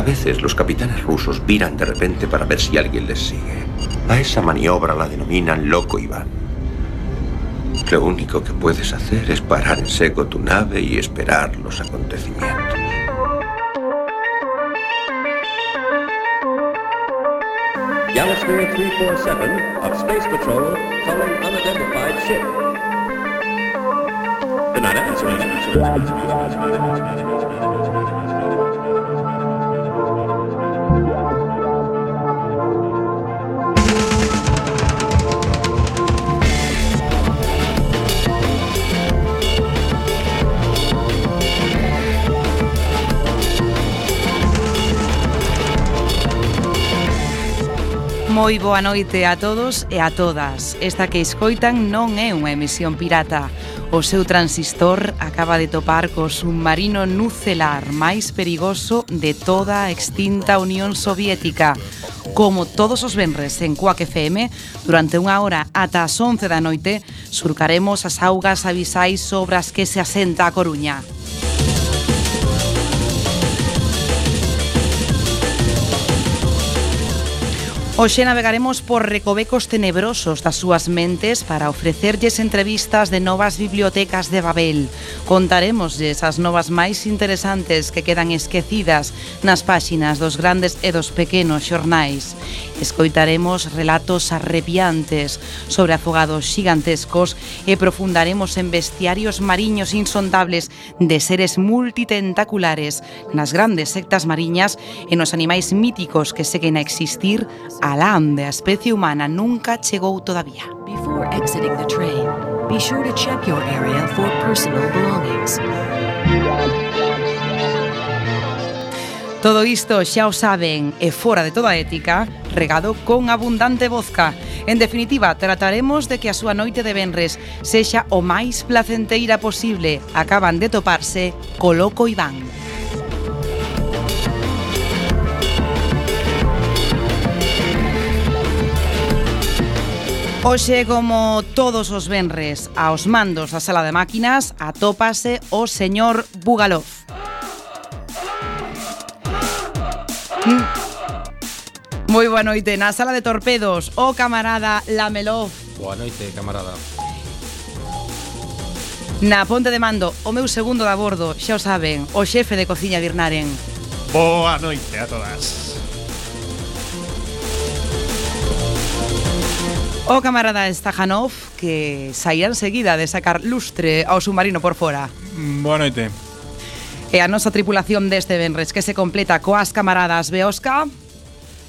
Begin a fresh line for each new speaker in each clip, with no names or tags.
A veces los capitanes rusos viran de repente para ver si alguien les sigue. A esa maniobra la denominan Loco Iván. Lo único que puedes hacer es parar en seco tu nave y esperar los acontecimientos.
Galasphere 347 of Space Patrol calling unidentified ship. They're not answering.
Moi boa noite a todos e a todas. Esta que escoitan non é unha emisión pirata. O seu transistor acaba de topar co submarino nucelar máis perigoso de toda a extinta Unión Soviética. Como todos os venres en Quack FM, durante unha hora ata as 11 da noite, surcaremos as augas abisais sobre as que se asenta a Coruña. Hoxe navegaremos por recovecos tenebrosos das súas mentes para ofrecerlles entrevistas de novas bibliotecas de Babel. Contaremosles as novas máis interesantes que quedan esquecidas nas páxinas dos grandes e dos pequenos xornais. Escoitaremos relatos arrepiantes sobre afogados xigantescos e profundaremos en bestiarios mariños insondables de seres multitentaculares nas grandes sectas mariñas e nos animais míticos que seguen a existir alá onde a especie humana nunca chegou todavía.
Before exiting the train, be sure to check your area for personal belongings.
Todo isto xa o saben e fora de toda ética, regado con abundante vodka. En definitiva, trataremos de que a súa noite de venres sexa o máis placenteira posible. Acaban de toparse co Loco Iván. Hoxe, como todos os venres, aos mandos da sala de máquinas atópase o señor Bugalov. Moi boa noite. Na sala de torpedos, o camarada Lamelov.
Boa noite, camarada.
Na ponte de mando, o meu segundo de a bordo, xa o saben, o xefe de cociña Birnaren.
Boa noite a todas.
O camarada Stajanov, que saía enseguida de sacar lustre ao submarino por fora.
Boa noite.
E a nosa tripulación deste venres, que se completa coas camaradas Beoska.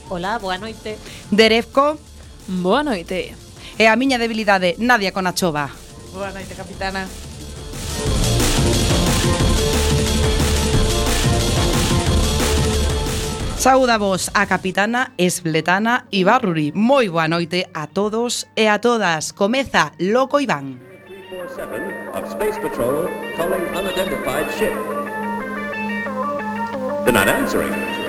Hola, boa noite.
Derevko.
Boa noite.
E a miña debilidade, Nadia Konachova.
Boa noite, capitana.
Saúdavos a capitana Esbletana Ibarruri. Moi boa noite a todos e a todas. Comeza Loco Iván.
347 of Space Patrol calling unidentified ship. They're not answering.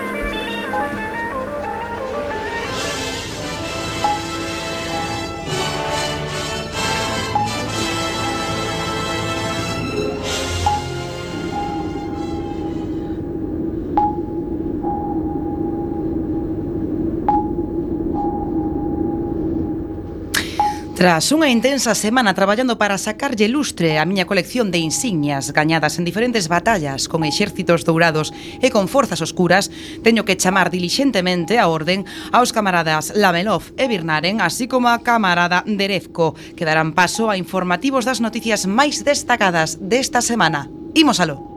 Tras unha intensa semana traballando para sacarlle lustre a miña colección de insignias gañadas en diferentes batallas con exércitos dourados e con forzas oscuras, teño que chamar dilixentemente a orden aos camaradas Lamelov e Birnaren, así como a camarada Derevko, que darán paso a informativos das noticias máis destacadas desta semana. Imos aló.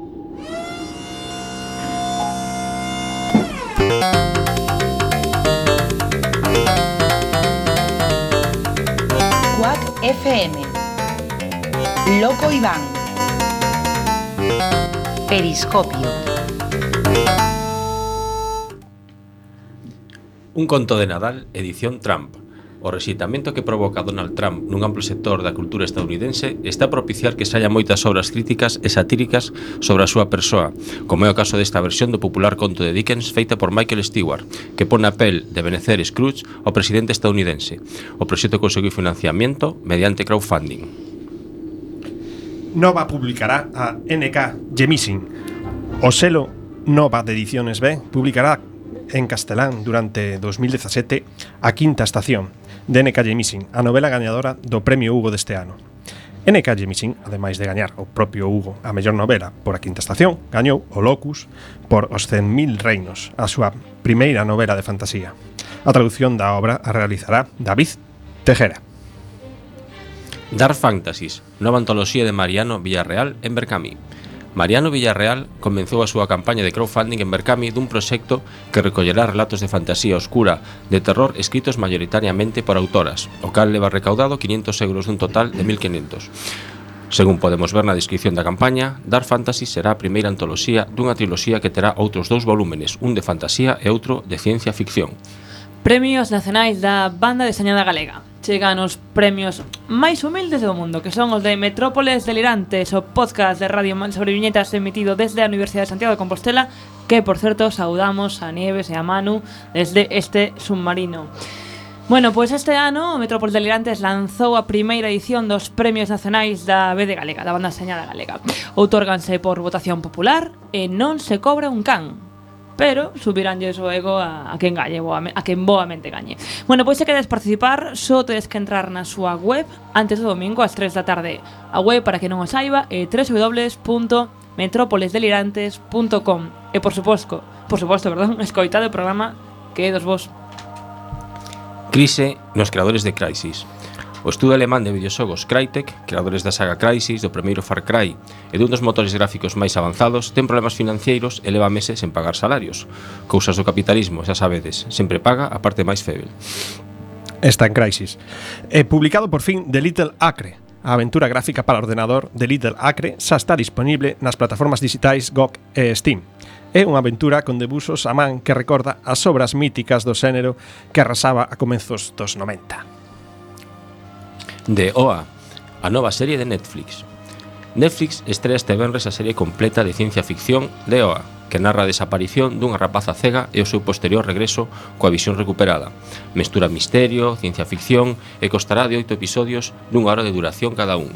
FM, Loco Iván, Periscopio.
Un conto de Nadal, edición Trump. O rexeitamento que provoca Donald Trump nun amplo sector da cultura estadounidense está a propiciar que saia moitas obras críticas e satíricas sobre a súa persoa, como é o caso desta versión do popular conto de Dickens feita por Michael Stewart, que pon a pel de Ebenezer Scrooge ao presidente estadounidense. O proxecto conseguiu financiamento mediante crowdfunding.
Nova publicará a NK Jemisin, o selo Nova de Ediciones B publicará en castelán durante 2017 A Quinta Estación, de N.K. Jemisin, a novela gañadora do Premio Hugo deste ano. N.K. Jemisin, ademais de gañar o propio Hugo a mellor novela por A Quinta Estación, gañou o Locus por Os 100.000 reinos, a súa primeira novela de fantasía. A traducción da obra a realizará David Tejera.
Dark Fantasies, nova antoloxía de Mariano Villarreal en Berkami. Mariano Villarreal comenzou a súa campaña de crowdfunding en Berkami dun proxecto que recollerá relatos de fantasía oscura de terror escritos mayoritariamente por autoras, o cal leva recaudado 500 euros dun total de 1.500. Según podemos ver na descripción da campaña, Dark Fantasy será a primeira antoloxía dunha triloxía que terá outros 2 volúmenes, un de fantasía e outro de ciencia ficción.
Premios nacionais da banda deseñada galega. Chegan os premios máis humildes do mundo, que son os de Metrópoles Delirantes, o podcast de radio sobre viñetas emitido desde a Universidade de Santiago de Compostela, que, por certo, saudamos a Nieves e a Manu desde este submarino. Bueno, pois este ano o Metrópoles Delirantes lanzou a primeira edición dos premios nacionais da BD Galega, da banda deseñada galega. Outórganse por votación popular e non se cobra un can, pero subiránlles o ego a quen gañe, a quen boamente gañe. Bueno, pois se queres participar, só tedes que entrar na súa web antes do domingo ás 3 da tarde. A web, para que non o saiba, é www.metropolesdelirantes.com. E por suposto, escoitade o programa que é dos vos.
Crise nos creadores de Crysis. O estudo alemán de videoxogos Crytek, creadores da saga Crysis, do primeiro Far Cry e dun dos motores gráficos máis avanzados, ten problemas financeiros e leva meses sen pagar salarios. Cousas do capitalismo, xa sabedes, sempre paga a parte máis feble.
Está en Crysis. Publicado por fin The Little Acre. A aventura gráfica para ordenador de Little Acre xa está disponible nas plataformas digitais GOG e Steam. É unha aventura con debuxos a man que recorda as obras míticas do xénero que arrasaba a comezos dos 90.
De OA, a nova serie de Netflix. Netflix estrea este venres a serie completa de ciencia ficción de OA, que narra a desaparición dunha rapaza cega e o seu posterior regreso coa visión recuperada. Mestura misterio, ciencia ficción e constará de 8 episodios dunha hora de duración cada un.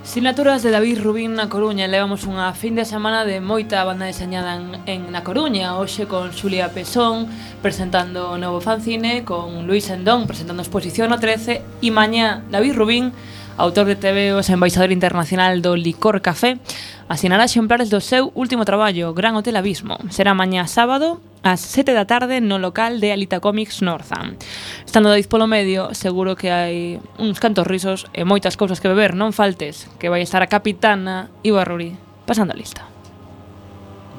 Sinaturas de David Rubín na Coruña. Levamos unha fin de semana de moita banda deseñada na Coruña. Hoxe con Xulia Pesón presentando o novo fanzine, con Luis Endón presentando a exposición no 13, e mañá David Rubín, autor de TVOs e embaixador internacional do Licor Café, asinará exemplares do seu último traballo, Gran Hotel Abismo. Será mañá sábado ás 7 da tarde no local de Alita Comics Northam. Estando David polo medio, seguro que hai uns cantos risos e moitas cousas que beber. Non faltes, que vai estar a capitana Iva Ruri pasando a lista.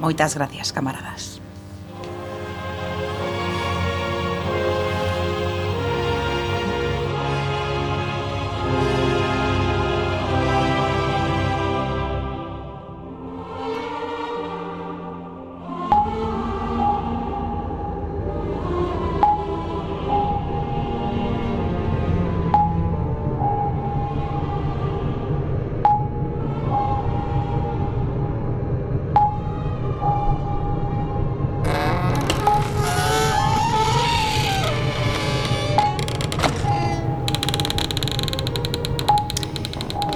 Moitas gracias, camaradas.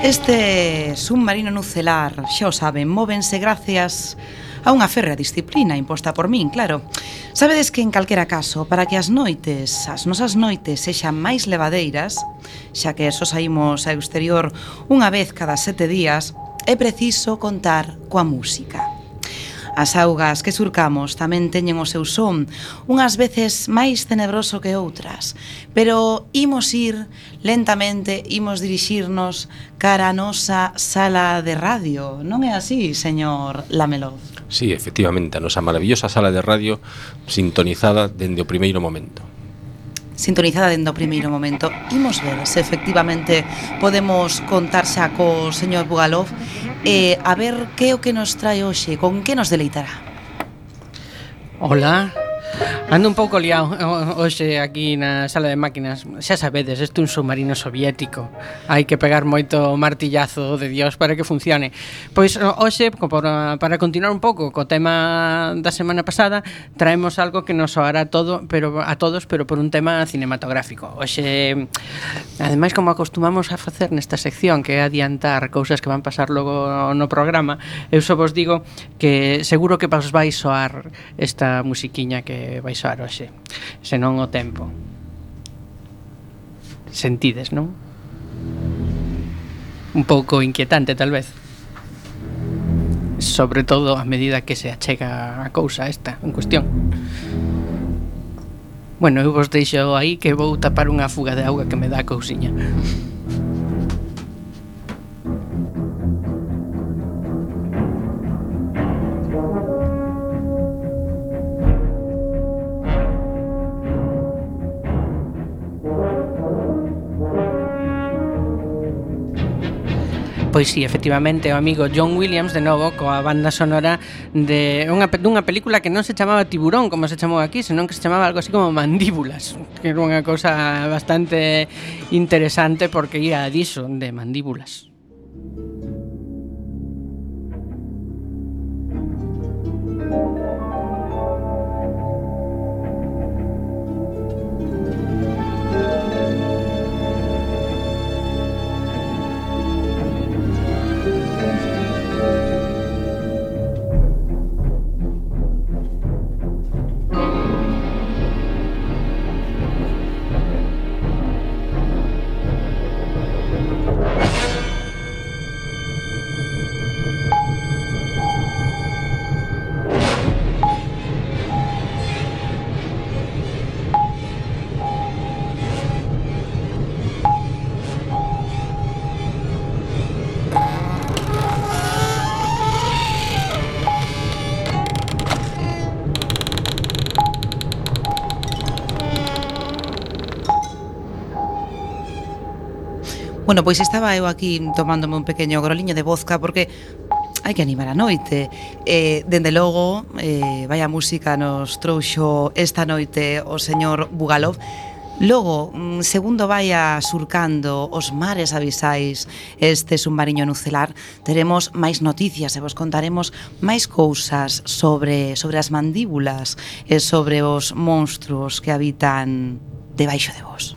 Este submarino nucelar, xa o saben, móvense gracias a unha férrea disciplina imposta por min, claro. Sabedes que en calquera caso, para que as nosas noites sexan máis levadeiras, xa que só saímos ao exterior unha vez cada 7 días, é preciso contar coa música. As augas que surcamos tamén teñen o seu son, unhas veces máis tenebroso que outras, pero imos ir lentamente, imos dirixirnos cara a nosa sala de radio. Non é así, señor Lameloz?
Sí, efectivamente, a nosa maravillosa sala de radio sintonizada dende o primeiro momento.
Sintonizada dende o primeiro momento. Imos ver se efectivamente podemos contar xa co señor Bugalov e a ver que é o que nos trae hoxe, con que nos deleitará.
Hola, Ando un pouco liado hoxe aquí na sala de máquinas. Xa sabedes, isto é un submarino soviético. Hai que pegar moito martillazo de Dios para que funcione. Pois hoxe, para continuar un pouco co tema da semana pasada, traemos algo que nos soará a todos, pero por un tema cinematográfico. Hoxe, ademais, como acostumamos a facer nesta sección, que é adiantar cousas que van pasar logo no programa, eu só vos digo que seguro que vos vai soar esta musiquiña que vai soar hoxe, senón o tempo. Sentides, non? Un pouco inquietante, tal vez. Sobre todo a medida que se achega a cousa esta en cuestión. Bueno, eu vos deixo aí que vou tapar unha fuga de auga que me dá a cousiña. Pois sí, efectivamente, o amigo John Williams de novo coa banda sonora de dunha película que non se chamaba Tiburón, como se chamou aquí, senón que se chamaba algo así como Mandíbulas, que era unha cousa bastante interesante porque ia diso, de mandíbulas.
Bueno, pois estaba eu aquí tomándome un pequeño groliño de vodka porque hai que animar a noite. Dende logo, vaya música nos trouxo esta noite o señor Bugalov. Logo, segundo vaya surcando os mares abisais este submarino nucelar, teremos máis noticias e vos contaremos máis cousas sobre as mandíbulas e sobre os monstruos que habitan debaixo de vos.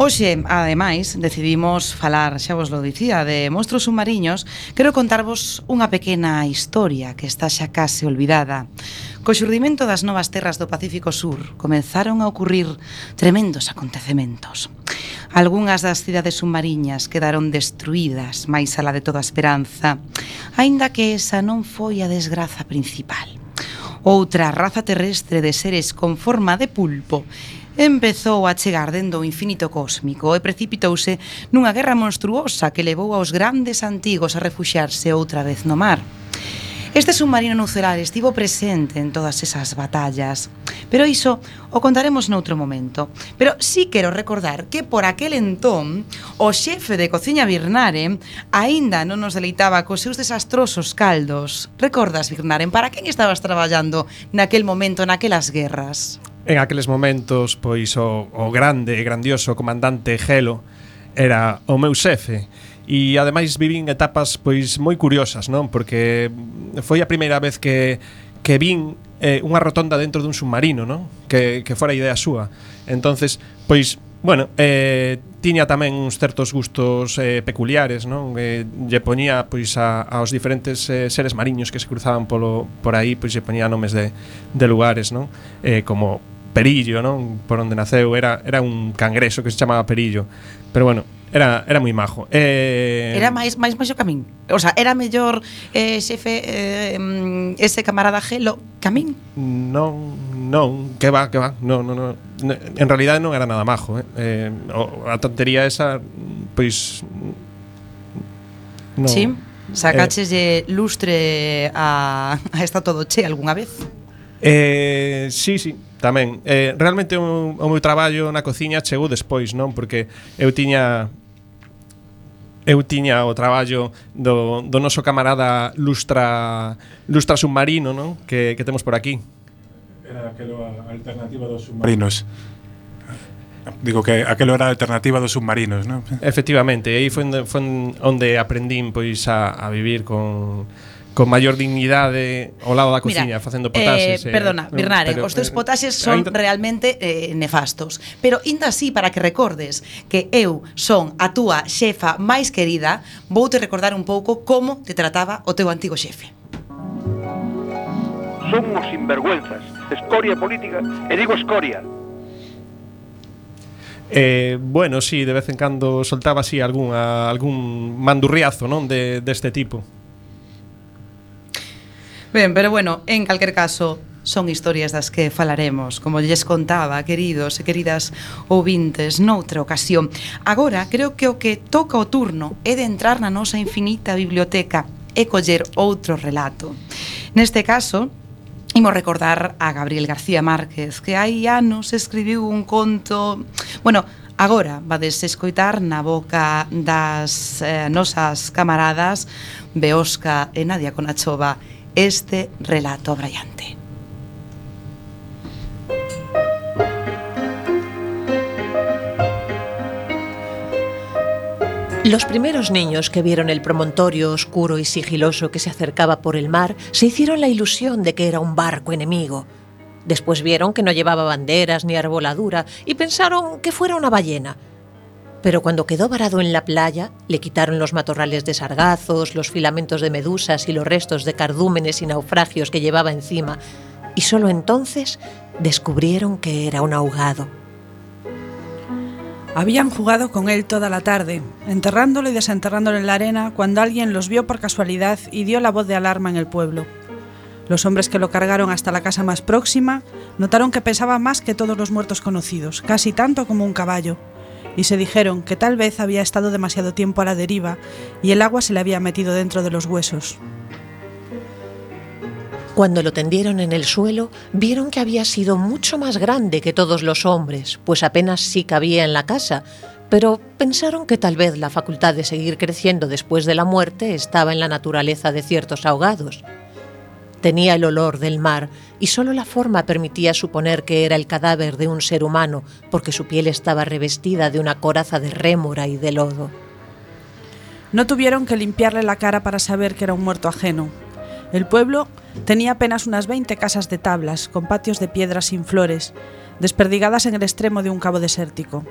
Hoxe, ademais, decidimos falar, xa vos lo dicía, de monstruos submariños. Quero contarvos unha pequena historia que está xa case olvidada. Co xurdimento das novas terras do Pacífico Sur comenzaron a ocurrir tremendos acontecementos. Algúnas das cidades submariñas quedaron destruídas máis alá de toda esperanza, aínda que esa non foi a desgraza principal. Outra raza terrestre de seres con forma de pulpo empezou a chegar dende o infinito cósmico e precipitouse nunha guerra monstruosa que levou aos grandes antigos a refuxiarse outra vez no mar. Este submarino nucelar estivo presente en todas esas batallas, pero iso o contaremos noutro momento. Pero sí quero recordar que por aquel entón o xefe de cociña Birnaren aínda non nos deleitaba cos seus desastrosos caldos. Recordas, Birnaren, para quen estabas traballando naquel momento, naquelas guerras?
En aqueles momentos, pois o grande e grandioso comandante Gelo era o meu xefe. E ademais vivín etapas pois moi curiosas, non? Porque foi a primeira vez que vin unha rotonda dentro dun submarino, non? Que fora idea súa. Entonces, pois, bueno, tiña tamén uns certos gustos peculiares, non? Lle poñía pois aos diferentes seres mariños que se cruzaban por aí, pois lle poñía nomes de lugares, non? Como Perillo, non? Por onde naceu era un cangreso que se chamaba Perillo. Pero bueno, era moi majo.
Era máis maxo que a min. O sea, era mellor xefe ese camarada Gelo que a min?
Non, que va. No. En realidade non era nada majo, a tontería esa, pois no.
Sí, sacaches lustre a Está Todo Che algunha vez?
Sí, tamén. Realmente o meu traballo na cociña chegou despois, non? Porque eu tiña eu tiña o traballo do noso camarada Lustra Submarino, non? Que temos por aquí.
Era aquelo a alternativa dos submarinos. Digo que aquelo era a alternativa dos submarinos, non?
Efectivamente, aí foi onde aprendín pois a vivir con maior dignidade ao lado da cociña, facendo potaxes.
Perdona, Birnare, os teus potaxes son realmente nefastos. Pero inda así, para que recordes que eu son a túa xefa máis querida, voute recordar un pouco como te trataba o teu antigo xefe.
Son uns sinvergüenzas, escoria política, e digo escoria.
Bueno, sí, de vez en cando soltaba así algún mandurriazo, non, deste tipo.
Ben, pero bueno, en calquer caso, son historias das que falaremos, como lles contaba, queridos e queridas ouvintes, noutra ocasión. Agora, creo que o que toca o turno é de entrar na nosa infinita biblioteca e coller outro relato. Neste caso, imos recordar a Gabriel García Márquez, que hai anos escribiu un conto... Bueno, agora vades escoitar na boca das nosas camaradas Beosca e Nadia Conachova este relato abraiante.
Los primeros niños que vieron el promontorio oscuro y sigiloso que se acercaba por el mar se hicieron la ilusión de que era un barco enemigo. Después vieron que no llevaba banderas ni arboladura y pensaron que fuera una ballena. Pero cuando quedó varado en la playa, le quitaron los matorrales de sargazos, los filamentos de medusas y los restos de cardúmenes y naufragios que llevaba encima, y solo entonces descubrieron que era un ahogado.
Habían jugado con él toda la tarde, enterrándolo y desenterrándolo en la arena, cuando alguien los vio por casualidad y dio la voz de alarma en el pueblo. Los hombres que lo cargaron hasta la casa más próxima notaron que pesaba más que todos los muertos conocidos, casi tanto como un caballo, y se dijeron que tal vez había estado demasiado tiempo a la deriva y el agua se le había metido dentro de los huesos.
Cuando lo tendieron en el suelo, vieron que había sido mucho más grande que todos los hombres, pues apenas sí cabía en la casa, pero pensaron que tal vez la facultad de seguir creciendo después de la muerte estaba en la naturaleza de ciertos ahogados. Tenía el olor del mar y solo la forma permitía suponer que era el cadáver de un ser humano, porque su piel estaba revestida de una coraza de rémora y de lodo.
No tuvieron que limpiarle la cara para saber que era un muerto ajeno. El pueblo tenía apenas unas 20 casas de tablas, con patios de piedras sin flores, desperdigadas en el extremo de un cabo desértico.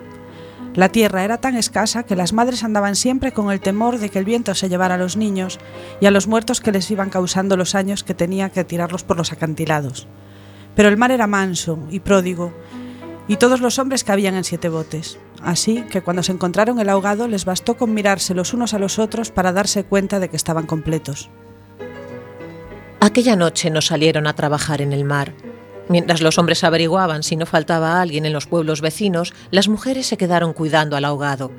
La tierra era tan escasa que las madres andaban siempre con el temor de que el viento se llevara a los niños y a los muertos que les iban causando los años que tenía que tirarlos por los acantilados. Pero el mar era manso y pródigo, y todos los hombres cabían en 7 botes. Así que cuando se encontraron el ahogado les bastó con mirarse los unos a los otros para darse cuenta de que estaban completos.
Aquella noche no salieron a trabajar en el mar. Mientras los hombres averiguaban si no faltaba alguien en los pueblos vecinos, las mujeres se quedaron cuidando al ahogado.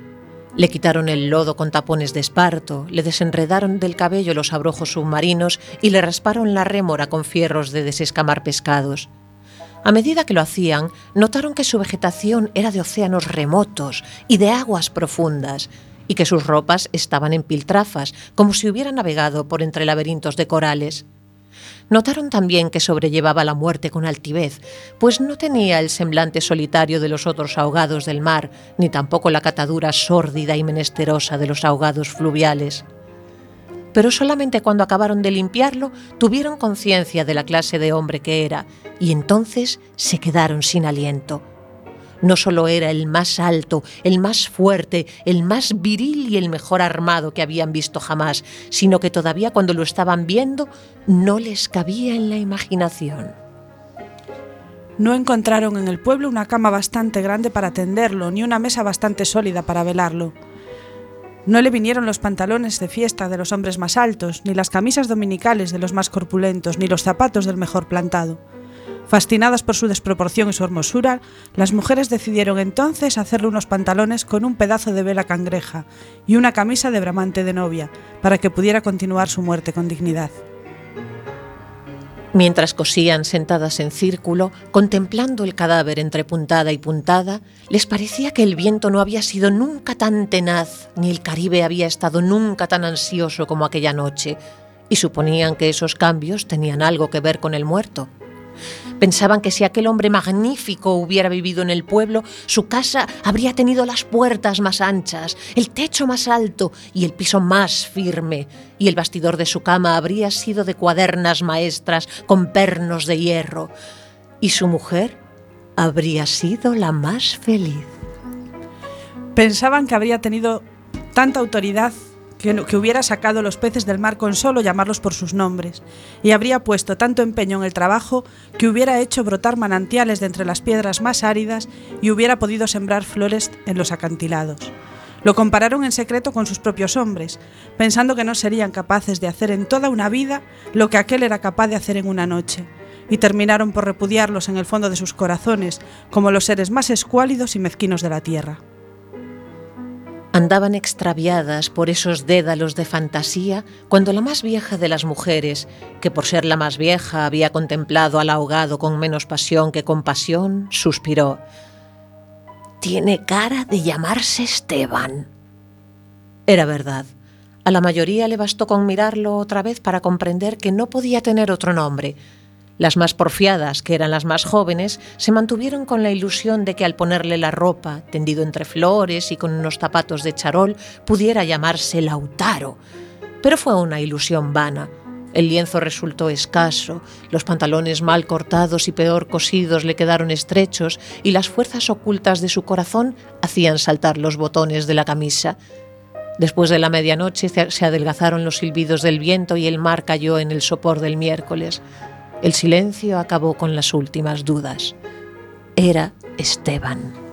Le quitaron el lodo con tapones de esparto, le desenredaron del cabello los abrojos submarinos y le rasparon la rémora con fierros de desescamar pescados. A medida que lo hacían, notaron que su vegetación era de océanos remotos y de aguas profundas, y que sus ropas estaban en piltrafas, como si hubiera navegado por entre laberintos de corales. Notaron también que sobrellevaba la muerte con altivez, pues no tenía el semblante solitario de los otros ahogados del mar, ni tampoco la catadura sórdida y menesterosa de los ahogados fluviales. Pero solamente cuando acabaron de limpiarlo, tuvieron conciencia de la clase de hombre que era, y entonces se quedaron sin aliento. No solo era el más alto, el más fuerte, el más viril y el mejor armado que habían visto jamás, sino que todavía cuando lo estaban viendo no les cabía en la imaginación.
No encontraron en el pueblo una cama bastante grande para tenderlo, ni una mesa bastante sólida para velarlo. No le vinieron los pantalones de fiesta de los hombres más altos, ni las camisas dominicales de los más corpulentos, ni los zapatos del mejor plantado. Fascinadas por su desproporción y su hermosura, las mujeres decidieron entonces hacerle unos pantalones con un pedazo de vela cangreja y una camisa de bramante de novia, para que pudiera continuar su muerte con dignidad.
Mientras cosían sentadas en círculo, contemplando el cadáver entre puntada y puntada, les parecía que el viento no había sido nunca tan tenaz, ni el Caribe había estado nunca tan ansioso como aquella noche, y suponían que esos cambios tenían algo que ver con el muerto. Pensaban que si aquel hombre magnífico hubiera vivido en el pueblo, su casa habría tenido las puertas más anchas, el techo más alto y el piso más firme, y el bastidor de su cama habría sido de cuadernas maestras con pernos de hierro, y su mujer habría sido la más feliz.
Pensaban que habría tenido tanta autoridad que hubiera sacado los peces del mar con solo llamarlos por sus nombres, y habría puesto tanto empeño en el trabajo que hubiera hecho brotar manantiales de entre las piedras más áridas y hubiera podido sembrar flores en los acantilados. Lo compararon en secreto con sus propios hombres, pensando que no serían capaces de hacer en toda una vida lo que aquel era capaz de hacer en una noche, y terminaron por repudiarlos en el fondo de sus corazones como los seres más escuálidos y mezquinos de la tierra.
Andaban extraviadas por esos dédalos de fantasía cuando la más vieja de las mujeres, que por ser la más vieja había contemplado al ahogado con menos pasión que compasión, suspiró: «Tiene cara de llamarse Esteban». Era verdad. A la mayoría le bastó con mirarlo otra vez para comprender que no podía tener otro nombre. Las más porfiadas, que eran las más jóvenes, se mantuvieron con la ilusión de que al ponerle la ropa, tendido entre flores y con unos zapatos de charol, pudiera llamarse Lautaro. Pero fue una ilusión vana. El lienzo resultó escaso, los pantalones mal cortados y peor cosidos le quedaron estrechos y las fuerzas ocultas de su corazón hacían saltar los botones de la camisa. Después de la medianoche se adelgazaron los silbidos del viento y el mar cayó en el sopor del miércoles. El silencio acabó con las últimas dudas. Era Esteban.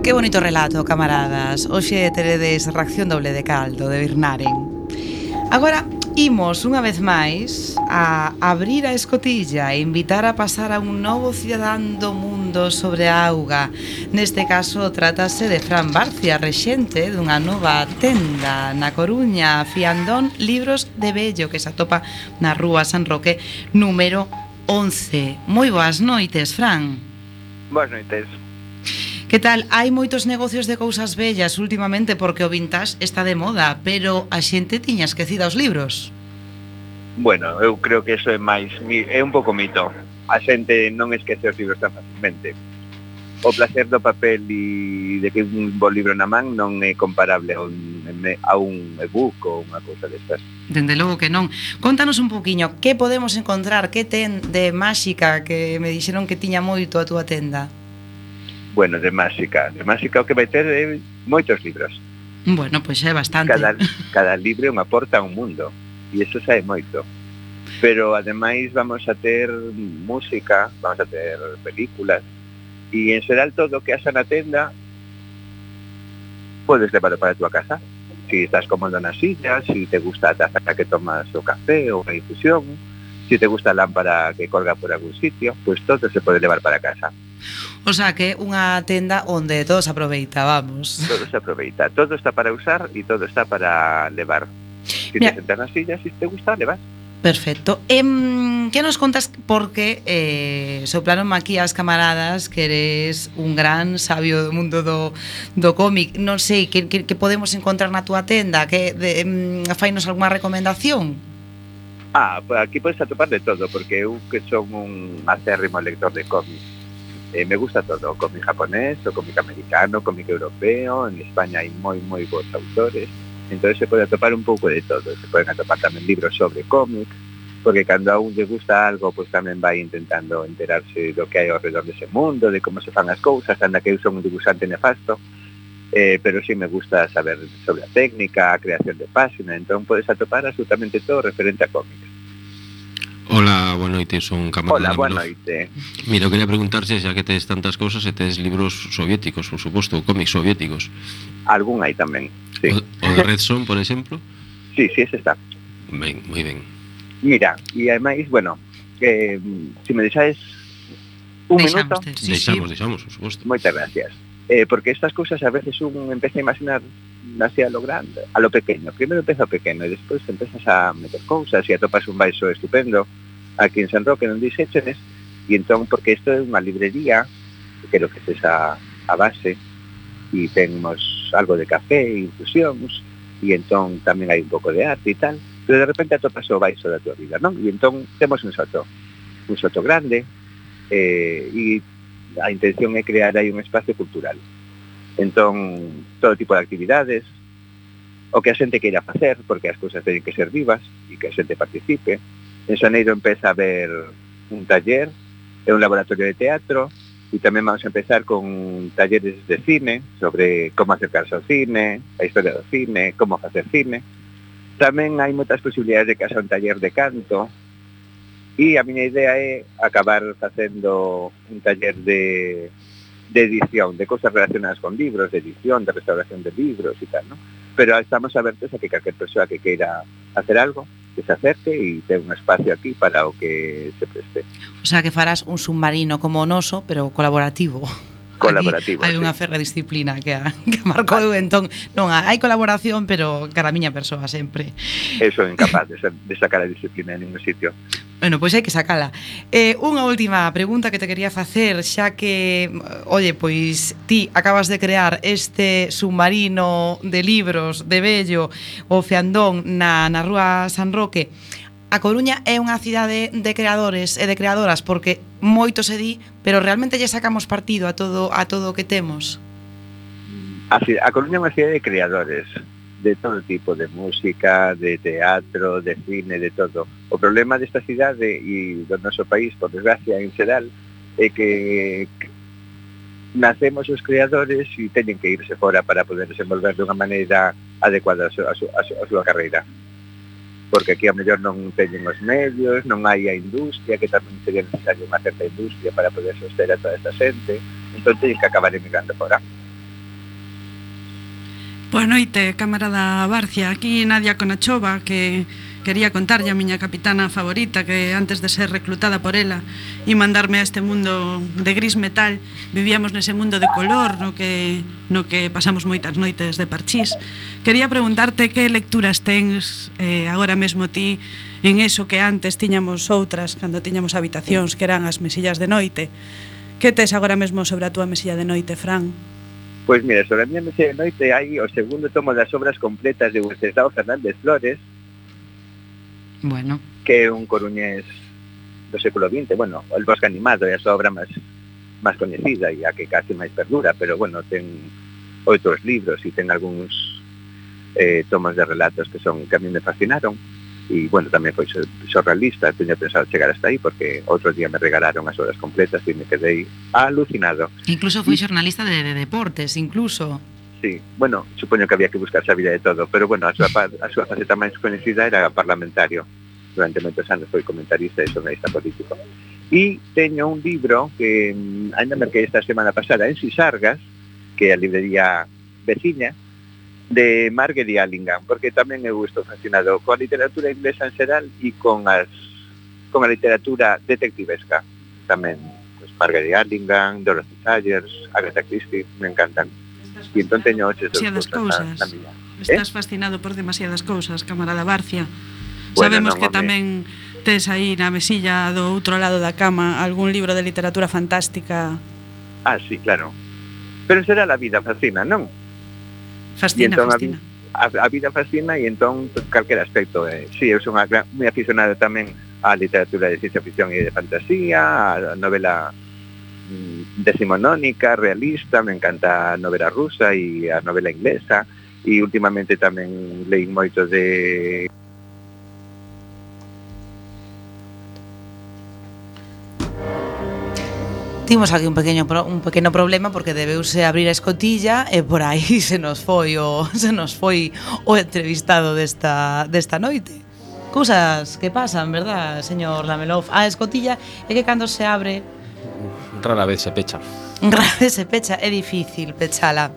Que bonito relato, camaradas. Hoxe teredes Reacción Doble de Caldo, de Birnaren. Agora, imos unha vez máis a abrir a escotilla e invitar a pasar a un novo cidadán do mundo sobre a auga. Neste caso, trátase de Fran Barcia, rexente dunha nova tenda na Coruña, Fiandón Libros de Bello, que se atopa na Rúa San Roque, número 11. Moi boas noites, Fran.
Boas noites.
Que tal? Hai moitos negocios de cousas bellas últimamente porque o vintage está de moda, pero a xente tiña esquecida os libros.
Bueno, eu creo que eso é un pouco mito. A xente non esquece os libros tan facilmente. O placer do papel e de que un bo libro na man non é comparable a un e-book ou unha cousa destas.
Dende logo que non. Contanos un poquinho, que podemos encontrar, que ten de máxica, que me dixeron que tiña moito a túa tenda?
Bueno, de máxica o que vai ter é moitos libros.
Bueno, pois é bastante.
Cada libro unha porta a un mundo, e iso xa é moito. Pero ademais vamos a ter música, vamos a ter películas, e en xeral todo o que haxa na tenda podes levarlo para a tua casa. Si estás cómodo na silla, si te gusta a taza que tomas o café ou a infusión, si te gusta a lámpara que colga por algún sitio, pues todo se pode levar para casa.
O sea que unha tenda onde todo se aproveita, vamos.
Todo se aproveita, todo está para usar e todo está para levar. Si te sentas na silla, si te gusta, levas.
Perfecto. Que nos contas? Porque soplaron aquí as camaradas que eres un gran sabio do mundo do cómic. Non sei, que podemos encontrar na túa tenda? Fainos algunha recomendación?
Pues aquí podes atopar de todo, porque eu que son un acérrimo lector de cómic. Me gusta todo, cómic japonés, o cómic americano, cómic europeo. En España hai moi bons autores, entonces se pode atopar un pouco de todo. Se poden atopar tamén libros sobre cómic, porque cando a un lle gusta algo, pues tamén vai intentando enterarse do que hai ao redor dese mundo, de como se fan as cousas, anda que eu son un dibujante nefasto, pero sí me gusta saber sobre a técnica, a creación de páxina, entón podes atopar absolutamente todo referente a cómics.
Hola, boa noite, son Camarada
Hola, boa
Menor.
noite.
Mira, eu quería preguntarse, xa que tes tantas cousas, se tes libros soviéticos, por suposto, cómics soviéticos.
Algún hai tamén, sí.
O de Red Son, por exemplo?
Sí, ese está.
Ben, moi ben.
Mira, e ademais, bueno, se me deixades un minuto.
Deixamos, por suposto.
Moitas gracias. Porque estas cousas a veces un empeza a imaginar así a lo grande, a lo pequeño. Primeiro empeza a pequeno e despois empezas a meter cousas e atopas un baixo estupendo aquí en San Roque non dixéchenes, e entón, porque isto é unha librería, que creo que é esa a base, e temos algo de café e infusións, e entón tamén hai un pouco de arte e tal, pero de repente atopas o baixo da tua vida, non? E entón temos un soto grande, e a intención é crear aí un espacio cultural. Entón, todo tipo de actividades, o que a xente queira facer, porque as cousas teñen que ser vivas e que a xente participe. En xaneiro empeza a haber un taller e un laboratorio de teatro, e tamén vamos a empezar con talleres de cine, sobre como acercarse ao cine, a historia do cine, como facer cine. Tamén hai moitas posibilidades de que haxa un taller de canto, e a miña idea é acabar facendo un taller de edición, de cosas relacionadas con libros, de edición, de restauración de libros e tal, ¿no? Pero estamos abertos a que calquer persoa que queira hacer algo, que se acerque e ten un espacio aquí para o que se preste.
O sea, que farás un submarino como o noso, pero colaborativo.
Colaborativo,
hai unha ferra disciplina que marcou eu, entón non hai colaboración, pero cara a miña persoa sempre.
Eu son incapaz de sacar a disciplina en ningún sitio.
Bueno, pois hai que sacala. Unha última pregunta que te quería facer, xa que, oye, pois ti acabas de crear este submarino de libros de Bello, o Feandón, na Rúa San Roque. A Coruña é unha cidade de creadores e de creadoras, porque moito se di, pero realmente lle sacamos partido a todo o que temos.
A Coruña é unha cidade de creadores, de todo tipo, de música, de teatro, de cine, de todo. O problema desta cidade e do noso país, por desgracia, en xeral, é que nacemos os creadores e teñen que irse fora para poder desenvolver de unha maneira adecuada a súa carreira. Porque aquí a mellor non teñen os medios, non hai a industria, que tamén sería necesario unha certa industria para poder soster a toda esta xente, entón teñen que acabar emigrando fora.
Boa noite, camarada Barcia. Aquí Nadia Conachova, que quería contarlle a miña capitana favorita que antes de ser reclutada por ela e mandarme a este mundo de gris metal, vivíamos nese mundo de color no que pasamos moitas noites de parchís. Quería preguntarte que lecturas tens agora mesmo ti en eso que antes tiñamos outras, cando tiñamos habitacións que eran as mesillas de noite. Que tes agora mesmo sobre a túa mesilla de noite, Fran?
Pois mira, sobre a miña mesilla de noite hai o segundo tomo das obras completas de Wenceslao Fernández Flores,
bueno,
que é un coruñés do século XX, bueno, el Bosque Animado é a súa obra máis coñecida e a que casi máis perdura, pero bueno, ten outros libros e ten algúns tomos de relatos que a mí me fascinaron, e bueno, tamén foi xornalista, teño pensado chegar hasta aí porque outro día me regalaron as obras completas e me quedei alucinado.
Incluso foi xornalista de deportes, incluso.
Sí, bueno, supoño que había que buscar sabida de todo, pero bueno, a súa faceta máis coñecida era parlamentario. Durante moitos anos foi comentarista e xornalista político. E teño un libro que ainda merquei esta semana pasada en Sisargas, que é a librería veciña, de Margaret Allingham, porque tamén eu estou fascinado coa literatura inglesa en xeral e con a literatura detectivesca. Tamén, pues, Margaret Allingham, Dorothy Sayers, Agatha Christie, me encantan. E entón teño oches
demasiadas cousas
na miña.
Estás fascinado por demasiadas cousas, camarada Barcia.
Bueno,
sabemos
non,
que tamén tes aí na mesilla do outro lado da cama algún libro de literatura fantástica.
Ah, sí, claro. Pero será a vida fascina, non?
Fascina,
entón,
fascina.
A vida fascina e entón calquera aspecto. Sí, eu son moi aficionado tamén á literatura de ciencia ficción e de fantasía, a novela decimonónica, realista, me encanta a novela rusa e a novela inglesa, e últimamente tamén leí moito de...
Timos aquí un pequeno problema porque debeuse abrir a escotilla e por aí se nos foi o entrevistado desta noite. Cousas que pasan, verdad, señor Lamelov? A escotilla é que cando se abre
rara vez se pecha.
Rara vez se pecha, é difícil pechala.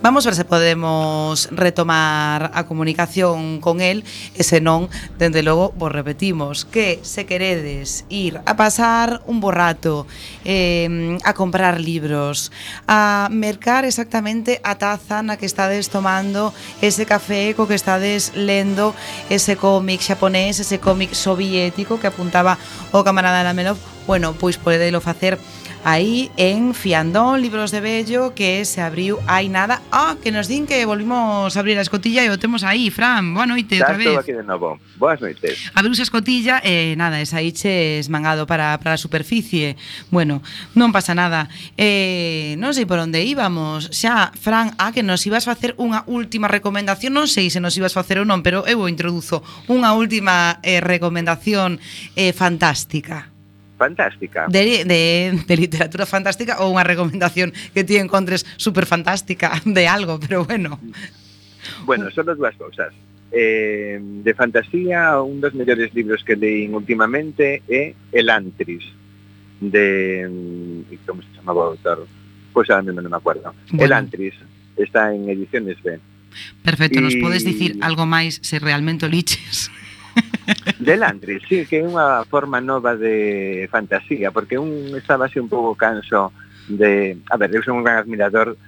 Vamos ver se podemos retomar a comunicación con él e se non, dende logo, vos repetimos que se queredes ir a pasar un bo rato, a comprar libros, a mercar exactamente a taza na que estades tomando ese café co que estades lendo ese cómic xaponés, ese cómic soviético que apuntaba o camarada Lamelov, bueno, pois podelo facer aí en Fiandón, Libros de Bello, que se abriu hai nada. Que nos din que volvimos a abrir a escotilla e o temos aí, Fran. Boa noite, outra vez.
Estou aquí de novo. Boas noites.
Abriuse a escotilla e nada, esa iches mangado para a superficie. Bueno, non pasa nada. Non sei por onde íbamos. Xa, Fran, que nos ibas facer unha última recomendación. Non sei se nos ibas facer ou non, pero eu o introduzo. Unha última recomendación fantástica.
Fantástica.
De literatura fantástica ou unha recomendación que ti encontres super fantástica de algo, pero bueno.
Bueno, son as dúas cousas. De fantasía, un dos mellores libros que leín últimamente é El Antris, de... como se chamaba o autor? Pois a mí non me acuerdo. Bueno. El Antris está en Ediciones B.
Perfecto, nos podes dicir algo máis se realmente o liches?
Del Antris, sí, que é unha forma nova de fantasía, porque estaba así un pouco canso de... A ver, eu son un gran admirador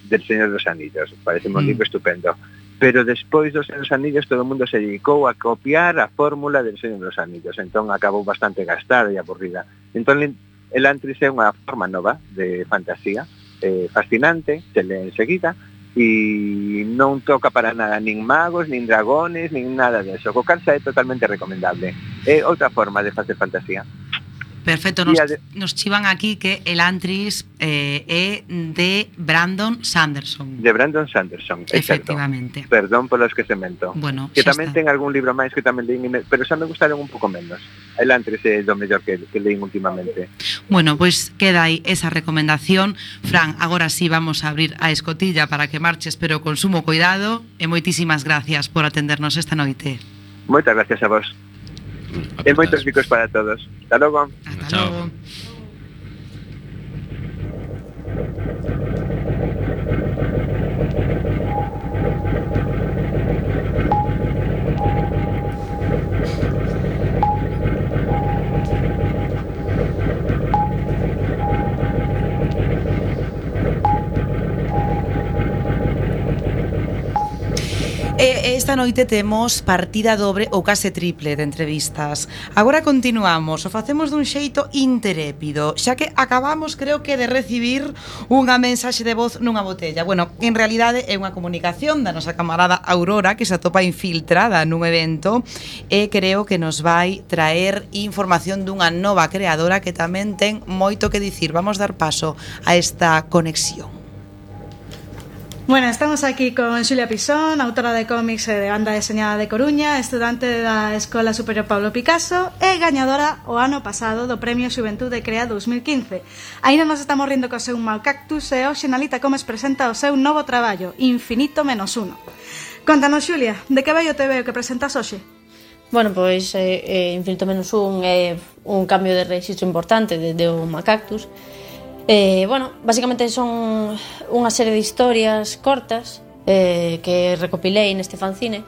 del Señor dos Anillos, parece un libro estupendo, pero despois dos Señor dos Anillos todo o mundo se dedicou a copiar a fórmula del Señor dos Anillos, entón acabou bastante gastada e aburrida. Entón, el Antris é unha forma nova de fantasía, fascinante, se lee enseguida, e non toca para nada nin magos, nin dragones, nin nada de eso. Co calza é totalmente recomendable. É outra forma de facer fantasía.
Perfecto, nos chivan aquí que El Antris é de Brandon Sanderson.
De Brandon Sanderson,
efectivamente.
Exacto. Perdón polos que se mento.
Bueno,
que tamén ten algún libro máis que tamén leín, pero xa me gustaron un pouco menos. El Antris é do mellor que leín últimamente.
Bueno, pois queda aí esa recomendación. Fran, agora sí vamos a abrir a escotilla para que marches, pero con sumo cuidado, e moitísimas gracias por atendernos esta noite.
Moitas gracias a vos. E moitos bicos para todos. Hasta logo.
Hasta logo. Esta noite temos partida dobre ou case triple de entrevistas. Agora continuamos, o facemos dun xeito interépido, xa que acabamos, creo que, de recibir unha mensaxe de voz nunha botella. Bueno, en realidade é unha comunicación da nosa camarada Aurora, que se atopa infiltrada nun evento e creo que nos vai traer información dunha nova creadora que tamén ten moito que dicir. Vamos dar paso a esta conexión.
Bueno, estamos aquí con Xulia Pisón, autora de cómics e de banda deseñada de Coruña, estudante da Escola Superior Pablo Picasso e gañadora o ano pasado do Premio Xuventude Crea 2015. Ainda nos estamos rindo co seu Mal Cactus e hoxe Nalita Comes presenta o seu novo traballo, Infinito menos uno. Contanos, Xulia, de que vai o TVO que presentas hoxe?
Bueno, pois Infinito menos un é un cambio de registro importante de o Mal Cactus. Bueno, basicamente son unha serie de historias cortas que recopilei neste fanzine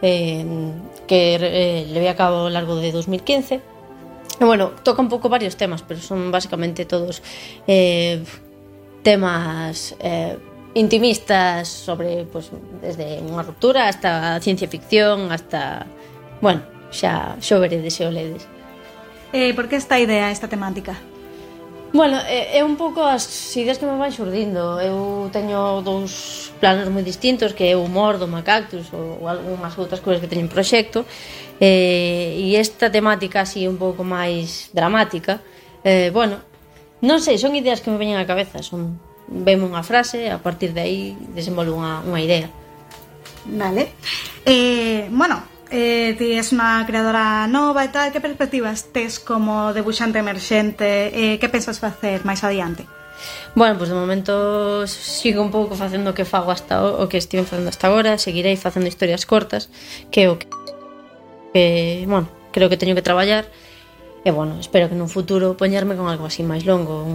que levei a cabo ao largo de 2015. E bueno, toca un pouco varios temas, pero son basicamente todos temas intimistas sobre, pues, desde unha ruptura hasta ciencia ficción, hasta, bueno, xa veredes e o ledes.
Por que esta idea, esta temática?
Bueno, é un pouco as ideas que me van xurdindo. Eu teño dous planos moi distintos, que é o humor do Macactus ou algunhas outras cousas que teño en proxecto, e esta temática así un pouco máis dramática, bueno, non sei, son ideas que me veñen á cabeza, veme unha frase, a partir de aí desenvolvo unha idea.
Vale. Bueno, ti es unha creadora nova e tal, que perspectivas tes como debuxante emerxente? Que pensas facer máis adiante?
Bueno, pues de momento sigo un pouco facendo o que fago o que estive facendo hasta agora. Seguirei facendo historias cortas, que é o que bueno, creo que teño que traballar. E bueno, espero que nun futuro poñerme con algo así máis longo,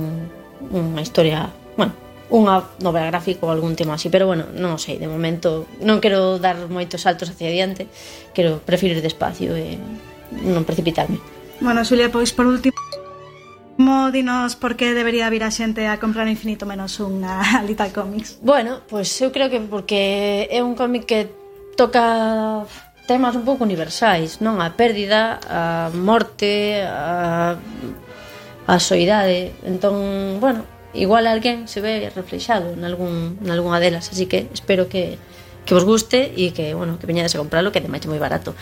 unha historia, bueno, unha novela gráfica ou algún tema así, pero bueno, non o sei, de momento non quero dar moitos saltos hacia adiante, prefiro ir despacio e non precipitarme.
Bueno, Xulia, pois por último, dinos por que debería vir a xente a comprar Infinito menos unha Little Comics.
Bueno, pois eu creo que porque é un cómic que toca temas un pouco universais, non? A pérdida, a morte, a soidade. Entón, bueno, igual alguén se ve reflexado nalgúnha delas, así que espero que vos guste e que, bueno, que veñades a compralo, que ademais é moi barato.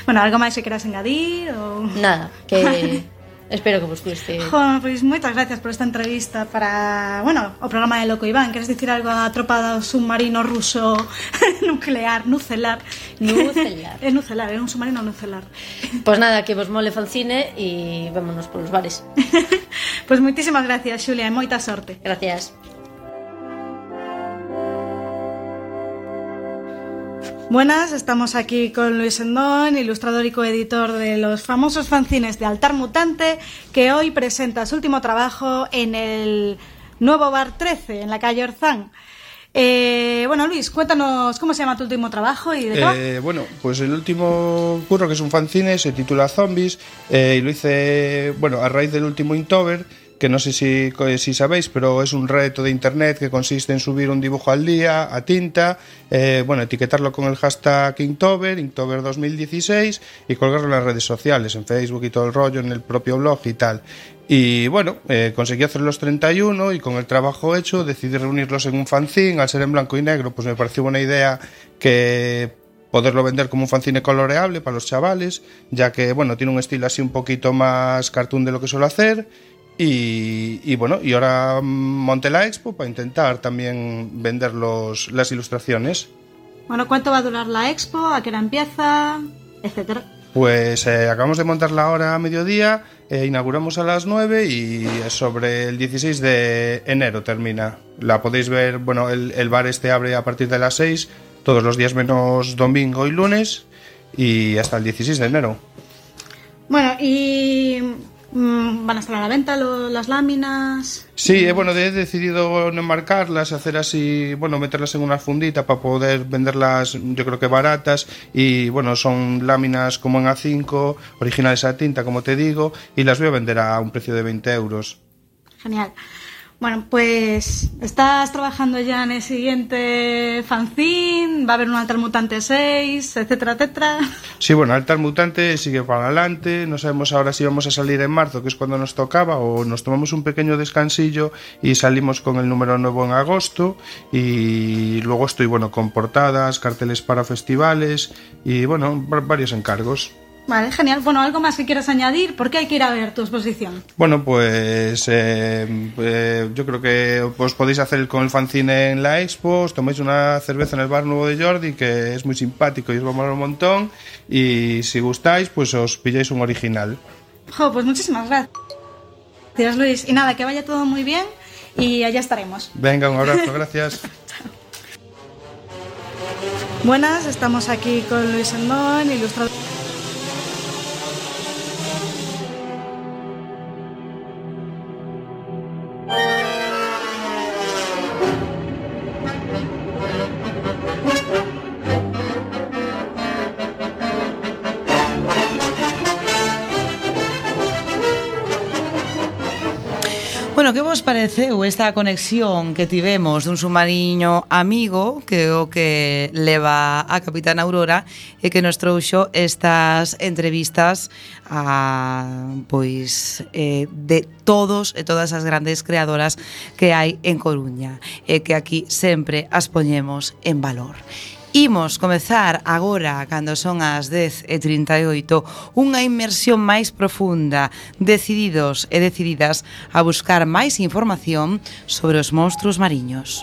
Bueno, algo máis que queras engadir? Ou...
Nada, que espero que vos guste.
Pois moitas gracias por esta entrevista para, bueno, o programa de Loco Iván. Queres dicir algo á tropa do submarino ruso nucelar? É nucelar, é un submarino nucelar.
Pois nada, que vos mole fanzine e vémonos polos bares.
Pois moitísimas gracias, Xulia, e moita sorte.
Gracias.
Buenas, estamos aquí con Luis Endón, ilustrador y coeditor de los famosos fanzines de Altar Mutante, que hoy presenta su último trabajo en el nuevo Bar 13, en la calle Orzán. Bueno, Luis, cuéntanos cómo se llama tu último trabajo y de qué va.
Bueno, pues el último curro, que es un fanzine, se titula Zombies, y lo hice, bueno, a raíz del último Inktober, que no sé si sabéis, pero es un reto de internet que consiste en subir un dibujo al día a tinta, bueno, etiquetarlo con el hashtag Inktober 2016 y colgarlo en las redes sociales, en Facebook y todo el rollo, en el propio blog y tal. Y bueno, conseguí hacer los 31 y con el trabajo hecho decidí reunirlos en un fanzine. Al ser en blanco y negro, pues me pareció buena idea que poderlo vender como un fanzine coloreable para los chavales, ya que, bueno, tiene un estilo así un poquito más cartoon de lo que suelo hacer. Y bueno, y ahora monté la expo para intentar también vender las ilustraciones.
Bueno, ¿cuánto va a durar la expo? ¿A qué hora empieza? Etcétera.
Pues acabamos de montarla ahora a mediodía, inauguramos a las 9 y sobre el 16 de enero termina. La podéis ver, bueno, el bar este abre a partir de las 6, todos los días menos domingo y lunes, y hasta el 16 de enero.
Bueno, y... ¿van a estar a la venta las láminas?
Sí, bueno, he decidido no enmarcarlas, hacer así, bueno, meterlas en una fundita para poder venderlas, yo creo que baratas, y bueno, son láminas como en A5, originales a tinta, como te digo, y las voy a vender a un precio de 20 euros.
Genial. Bueno, pues estás trabajando ya en el siguiente fanzine, va a haber un Altar Mutante 6, etcétera, etcétera.
Sí, bueno, Altar Mutante sigue para adelante, no sabemos ahora si vamos a salir en marzo, que es cuando nos tocaba, o nos tomamos un pequeño descansillo y salimos con el número nuevo en agosto, y luego estoy, bueno, con portadas, carteles para festivales y, bueno, varios encargos.
Vale, genial. Bueno, ¿algo más que quieras añadir? ¿Por qué hay que ir a ver tu exposición?
Bueno, pues yo creo que os podéis hacer con el fanzine en la expo, os tomáis una cerveza en el bar nuevo de Jordi, que es muy simpático y os va a molar un montón, y si gustáis, pues os pilláis un original.
Pues muchísimas gracias, Luis. Y nada, que vaya todo muy bien y allá estaremos.
Venga, un abrazo, gracias.
Buenas, estamos aquí con Luis Endón, ilustrador.
Bueno, que vos pareceu esta conexión que tivemos dun submarino amigo que o que leva a Capitán Aurora e que nos trouxo estas entrevistas a, pois, de todos e todas as grandes creadoras que hai en Coruña e que aquí sempre as poñemos en valor. Imos comezar agora, cando son as 10:38, unha inmersión máis profunda, decididos e decididas a buscar máis información sobre os monstruos mariños.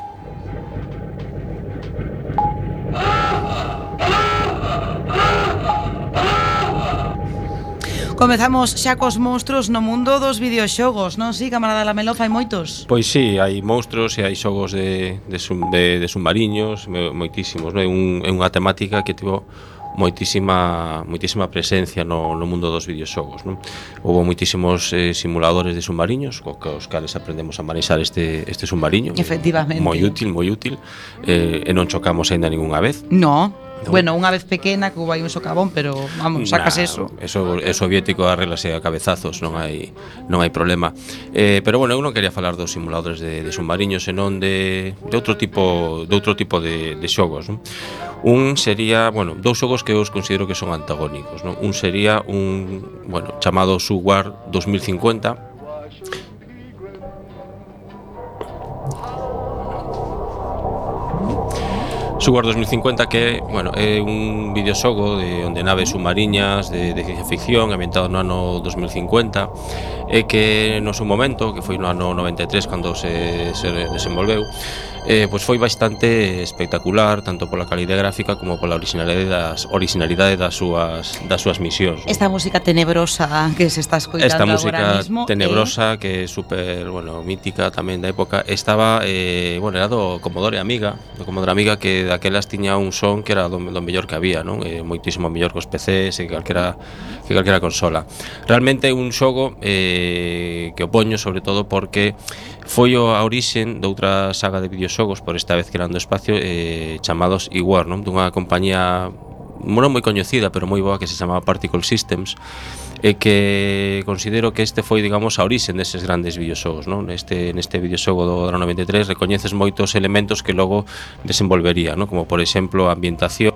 Comezamos xa cos monstruos no mundo dos videoxogos, non? Si, camarada Lamelo, fai moitos.
Pois sí, hai monstruos e hai xogos de submariños, moitísimos, non? É unha temática que tivo moitísima presencia no mundo dos videoxogos, non? Houve moitísimos simuladores de submariños cos cales aprendemos a manexar este submariño.
Efectivamente.
Moi útil, e non chocamos aínda ningunha vez.
No. Bueno, unha vez pequena que hubo aí un socavón, pero vamos, sacas eso.
Eso é soviético, arréglase a cabezazos, non hai problema. Pero bueno, eu non quería falar dos simuladores de submariños, senón de outro tipo de xogos, non? Un sería, bueno, dous xogos que eu os considero que son antagónicos, non? Un sería chamado Sword 2050. Sword 2050 que, é un videoxogo onde naves submariñas de ciencia ficción ambientado no ano 2050 e que no seu momento, que foi no ano 93 cando se desenvolveu, pois foi bastante espectacular, tanto pola calidade gráfica como pola originalidade das súas misións.
Esta música tenebrosa que se está escoitando agora mismo.
Esta música tenebrosa que é super, mítica tamén da época, estaba, era do Commodore Amiga, que daquelas tiña un son que era do mellor que había, non? Moitísimo mellor que os PCs e que calquera consola. Realmente é un xogo que o poño sobre todo porque foi a orixen de outra saga de videoxogos, por esta vez que eran do espacio, chamados iWar, non? Dunha compañía non moi coñecida, pero moi boa, que se chamaba Particle Systems, e que considero que este foi, digamos, a orixen deses grandes videoxogos, non? Neste videoxogo do ano 93 recoñeces moitos elementos que logo desenvolvería, non? Como por exemplo a ambientación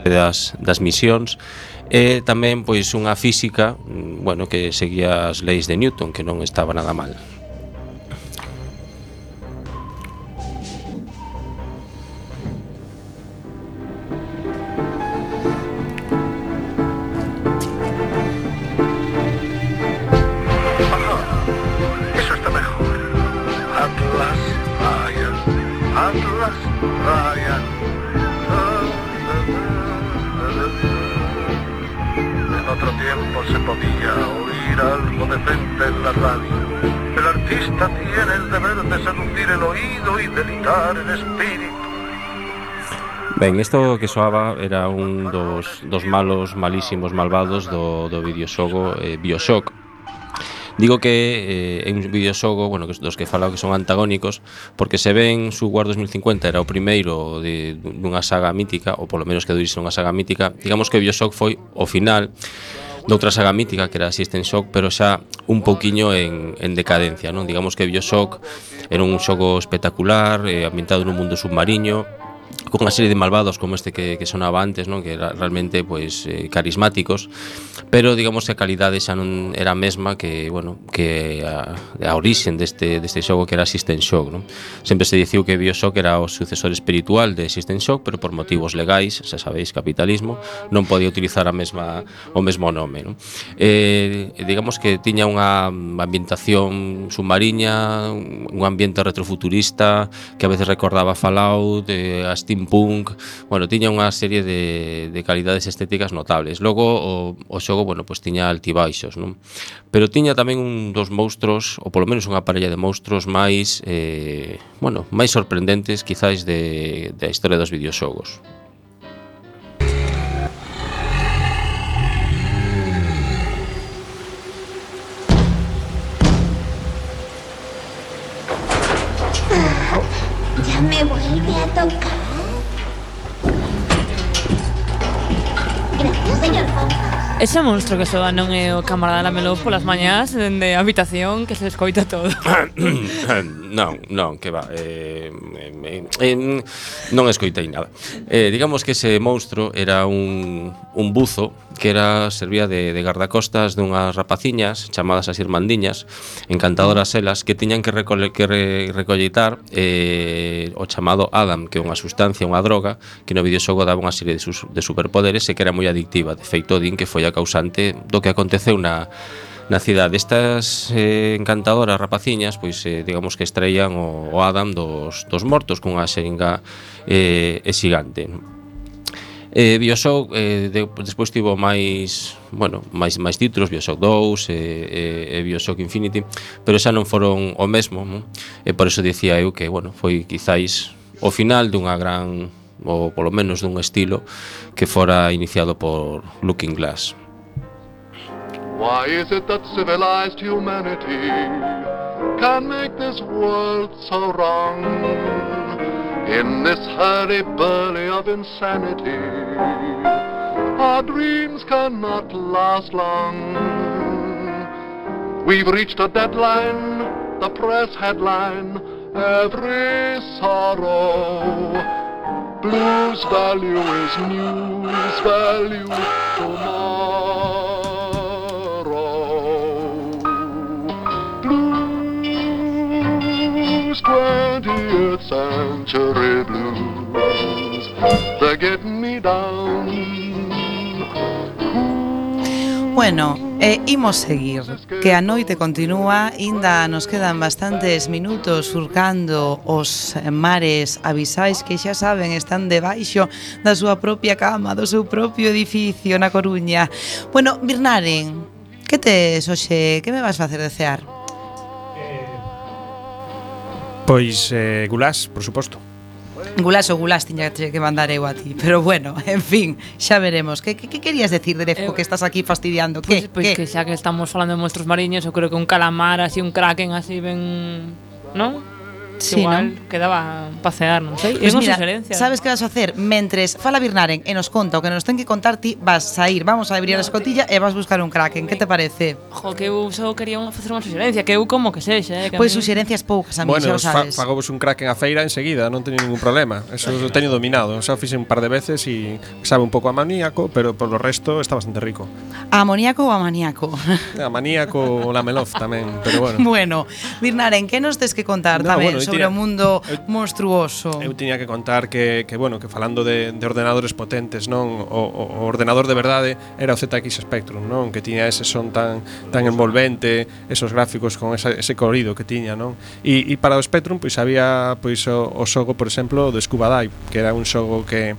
das misións e tamén pois unha física, que seguía as leis de Newton, que non estaba nada mal.
Se podía oír algo decente en la radio. El artista tiene el deber de seducir el oído y delitar el espíritu.
Ben, isto que soaba era un dos malísimos malvados do videoxogo BioShock. Digo que é un videoxogo, dos que falaba que son antagónicos, porque se ven Sword 2050 era o primeiro dunha saga mítica, ou polo menos que durixe unha saga mítica. Digamos que BioShock foi o final doutra saga mítica que era System Shock, pero xa un pouquiño en decadencia, non? Digamos que BioShock era un xogo espectacular, ambientado nun mundo submarino, con unha serie de malvados como este que sonaba antes, non? Que era realmente carismáticos, pero digamos que a calidade xa non era a mesma que a orixen deste xogo que era System Shock, non? Sempre se diciu que BioShock era o sucesor espiritual de System Shock, pero por motivos legais, xa sabéis, capitalismo, non podía utilizar o mesmo nome, non? Digamos que tiña unha ambientación submarina, un ambiente retrofuturista que a veces recordaba Fallout, a steampunk, tiña unha serie de calidades estéticas notables. Logo o xogo, tiña altibaixos, non? Pero tiña tamén un dos monstruos, ou polo menos unha parella de monstruos máis sorprendentes, quizáis, da historia dos videoxogos.
Ya me vuelve a tocar. Gracias, señor Fonfa.
Ese monstro que soa non é o camarada Lamelo polas mañás dende a habitación que se escoita todo.
Non, que va. Non escoitei nada. Digamos que ese monstro era un buzo que servía de gardacostas dunhas rapaciñas chamadas as irmandiñas, encantadoras elas, que tiñan que recolleitar o chamado Adam, que é unha sustancia, unha droga, que no videoxogo daba unha serie de superpoderes e que era moi adictiva. De feito, din que foi a causante do que aconteceu na cidade. Estas encantadoras rapaciñas, digamos que extraían o Adam dos mortos cunha xeringa xigante. Bioshock despois tivo máis títulos, Bioshock 2 e Bioshock Infinity, pero xa non foron o mesmo, non? E por eso dicía eu que, foi quizáis o final dunha gran, ou polo menos dun estilo que fora iniciado por Looking Glass.
Why is it that civilized humanity can make this world so wrong? In this hurry-burly of insanity, our dreams cannot last long. We've reached a deadline, the press headline, every sorrow. Blues value is news value tomorrow. Blues 20th century blues, they're getting me down.
Bueno, imos seguir, que a noite continúa, ainda nos quedan bastantes minutos surcando os mares abisais que xa saben están debaixo da súa propia cama, do seu propio edificio na Coruña. Bueno, Birnaren, que tes hoxe, que me vas facer de cear?
Pois gulás, por suposto.
Gulás ou gulás tiña que mandar eu a ti. Pero bueno, en fin, xa veremos. Que querías decir, Derefco, que estás aquí fastidiando?
Pois que xa que estamos falando de monstruos mariños, eu creo que un calamar, así un kraken, así ben... non?
Sí,
igual
¿no?
quedaba pasear, non sei.
Pues mira,
sugerencias.
sabes que vas a hacer? Mentres fala Birnaren e nos conta o que nos ten que contar, ti vas a ir, vamos a abrir a escotilla e vas buscar un kraken. Que te parece?
Jo, que eu só quería facer unha sugerencia, que eu como que sexa,
Pois suxerencias poucas, a mí, xa o sabes.
Fagobos un kraken a feira enseguida, non teño ningún problema. Eso lo teño dominado. Xa o fixe un par de veces e sabe un pouco a maníaco, pero por lo resto está bastante rico.
A amoníaco ou a maníaco?
A maníaco ou la melof tamén, pero bueno.
Bueno, Birnaren, que nos tes que contar tamén sobre o mundo monstruoso?
Eu tiña que contar que falando de ordenadores potentes, non, o ordenador de verdade era o ZX Spectrum, non, que tiña ese son tan envolvente, esos gráficos con ese colorido que tiña, non? E para o Spectrum pois había pois o xogo, por exemplo, do Scuba Dive, que era un xogo que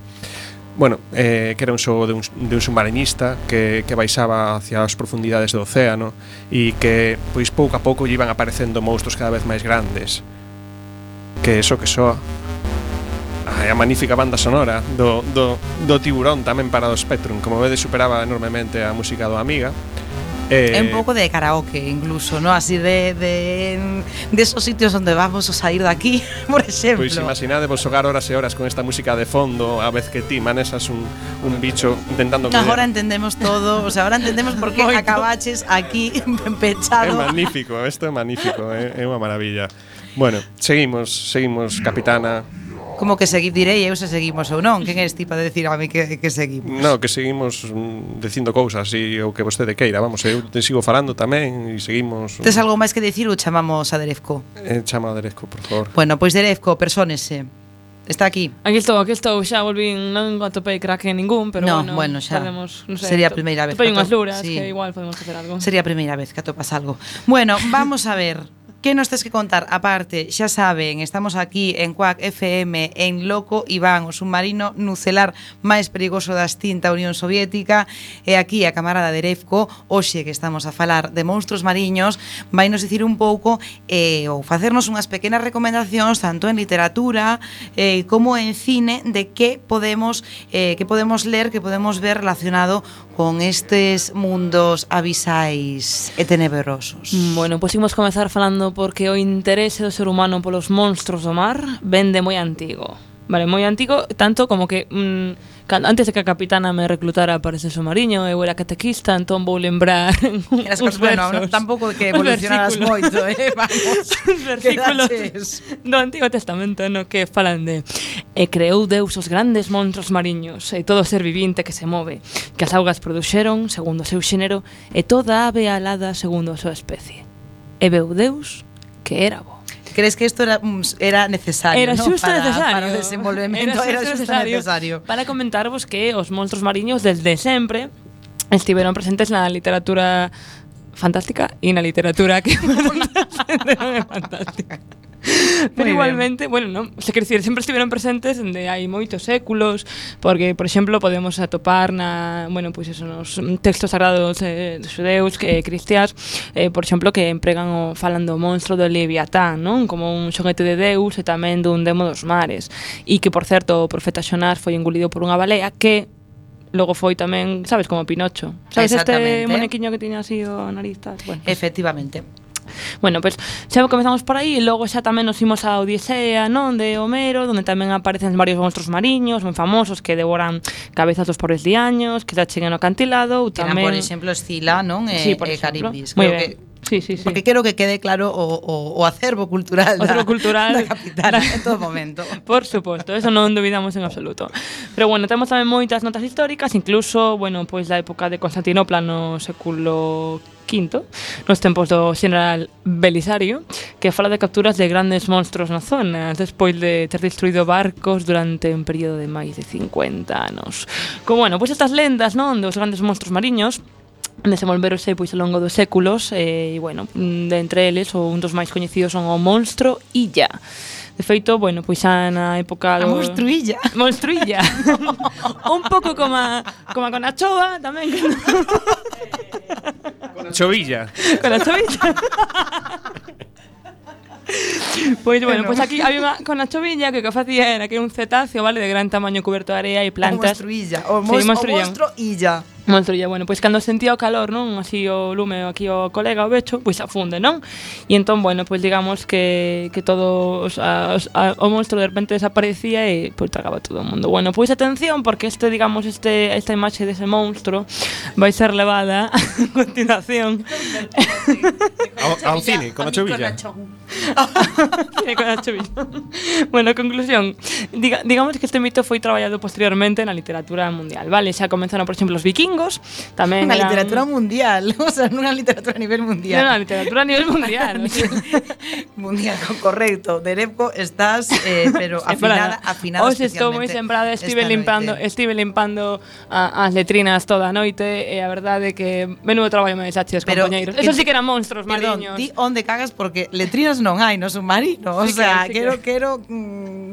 que era un xogo de un submarinista que baixaba hacia as profundidades do océano e que pois pouco a pouco lle iban aparecendo monstruos cada vez máis grandes. Que soa a magnífica banda sonora do Tiburón tamén para o Spectrum, como vedes, superaba enormemente a música do Amiga.
É un pouco de karaoke incluso, ¿no? Así de esos sitios onde vamos a sair daqui, por exemplo.
Pois imaginadevos xogar horas e horas con esta música de fondo a vez que ti manesas un bicho intentando coller.
Agora entendemos todo, o sea, ahora entendemos por que acabaches aquí pechado.
É magnífico, isto é magnífico, é unha maravilla. Bueno, seguimos, capitana.
Como que direi eu se seguimos ou non? Quen és ti para decir a mí que seguimos?
No, que seguimos dicindo cousas e o que vostede queira. Vamos, eu te sigo falando tamén e seguimos.
Tes algo máis que dicir ou chamamos a Derefco?
Chama a Derefco, por favor.
Bueno, pois Derefco, persónese. Está aquí.
Aquí estou, xa volvín, non atopei kraken ningún, pero
bueno, xa
podemos, non sei,
sería a primeira vez.
Atopei unhas luras,
sí,
que igual podemos facer algo.
Sería a primeira vez que atopas algo. Bueno, vamos a ver. Que nos tes que contar? Aparte, xa saben, estamos aquí en Quack FM en Loco Iván, o submarino nucelar máis perigoso da extinta Unión Soviética, e aquí a camarada Derefco, hoxe que estamos a falar de monstruos mariños, vai nos dicir un pouco ou facernos unhas pequenas recomendacións tanto en literatura como en cine de que podemos ler, que podemos ver relacionado con estes mundos abisais e tenebrosos.
Bueno, pois imos comezar falando porque o interese do ser humano polos monstruos do mar ven de moi antigo. Vale, moi antigo, tanto como que antes de que a capitana me reclutara para ese submarino, eu era catequista, entón vou lembrar uns versos.
Bueno, tampouco que evolucionaras moito, vamos.
Os versículos do Antigo Testamento, no que falan de e creou Deus os grandes monstruos mariños e todo ser vivinte que se move, que as augas produxeron segundo o seu xénero e toda ave alada segundo a súa especie. E veu Deus que era bo.
Crees que isto era necesario,
era xusto necesario
para o desenvolvemento, era xusto necesario
para comentarvos que os monstruos mariños desde sempre estiveron presentes na literatura fantástica e na literatura que non é fantástica. Pero igualmente, bueno, non, se quer dicir, sempre estiveron presentes dende hai moitos séculos, porque, por exemplo, podemos atopar bueno, pois eso, nos textos sagrados de xudeus, cristiás, por exemplo, que empregan falan do monstro do Leviatán, non? Como un xoguete de Deus e tamén dun demo dos mares. E que, por certo, o profeta Xonás foi engolido por unha balea que logo foi tamén, sabes, como Pinocho. Sabes este monequiño que tiña así o nariz tal? Bueno,
efectivamente.
Bueno, pues xa comezamos por aí e logo xa tamén nos imos a Odisea, non, de Homero, onde tamén aparecen varios monstros mariños moi famosos que devoran cabezas dos pobres diaños, que xa cheguen no acantilado, ou tamén,
por exemplo, Escila, non?
Sí, por
Caribdis.
Moi ben. Sí.
Porque quero que quede claro o acervo cultural da capital en todo momento.
Por suposto, eso non dubidamos en absoluto. Pero bueno, temos tamén moitas notas históricas, incluso, bueno, pois da época de Constantinopla no século V, nos tempos do xeneral Belisario, que fala de capturas de grandes monstros na zona, despois de ter destruído barcos durante un período de máis de 50 anos. Como, bueno, pois estas lendas, non, dos grandes monstros mariños desenvolveronse pois ao longo dos séculos e, bueno, de entre eles, un dos máis coñecidos son o monstro Illa. De feito, bueno, pois xa na época do...
A monstruilla.
Monstruilla. Un pouco como a Conachoa, tamén.
Con a chovilla.
Con a chovilla. Pois bueno, pois aquí había unha con a chovilla que o que facía era que un cetáceo, vale, de gran tamaño cuberto de area e plantas.
O monstro Illa.
Monstruilla, bueno, pois cando sentía o calor, non, así o lume aquí o colega, o becho, pois afunde, non? E entón, bueno, pois digamos que todo o monstro de repente desaparecía e pois tragaba todo o mundo. Bueno, pois atención, porque esta imaxe dese monstro vai ser levada a continuación
ao cine, con a chovilla.
Con a chovilla. Bueno, conclusión, digamos que este mito foi traballado posteriormente na literatura mundial, vale? Xa comenzaron, por exemplo, os vikingos, tamén
na literatura mundial, o sea, nunha literatura a nivel mundial.
Non, a literatura a nivel mundial.
Mundial, correcto. Derepco, estás, pero afinada especialmente.
Hoxe estou moi sembrada, estive limpando as letrinas toda a noite e a verdade é que menudo traballo me deixaches, compañeiros. Eso sí que eran monstros mariños.
Ti onde cagas porque letrinas non hai no submarino, o sea, quero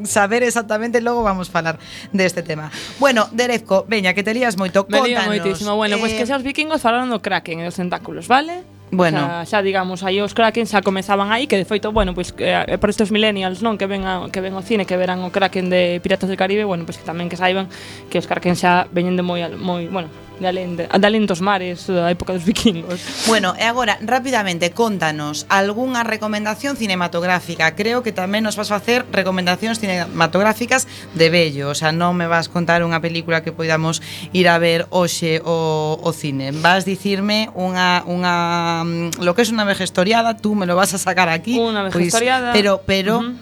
saber exactamente, logo vamos falar deste tema. Bueno, Derepco, veña, que te lías moito, contanos.
Bueno, pois que xa os vikingos falaron do kraken e dos tentáculos, vale?
Bueno,
o sea, xa digamos, aí os kraken xa comezaban aí, que de feito, bueno, pois por estes millennials, non, que ven ao cine, que verán o kraken de Piratas del Caribe, bueno, pois que tamén que saiban que os kraken xa veñen de moi, bueno, de alén dos mares da época dos vikingos.
Bueno, e agora, rapidamente, contanos algunha recomendación cinematográfica. Creo que tamén nos vas facer recomendacións cinematográficas de vello, o sea, non me vas contar unha película que poidamos ir a ver hoxe o cine. Vas dicirme lo que es unha vejestoriada, tú me lo vas a sacar aquí.
Unha vejestoriada.
Pero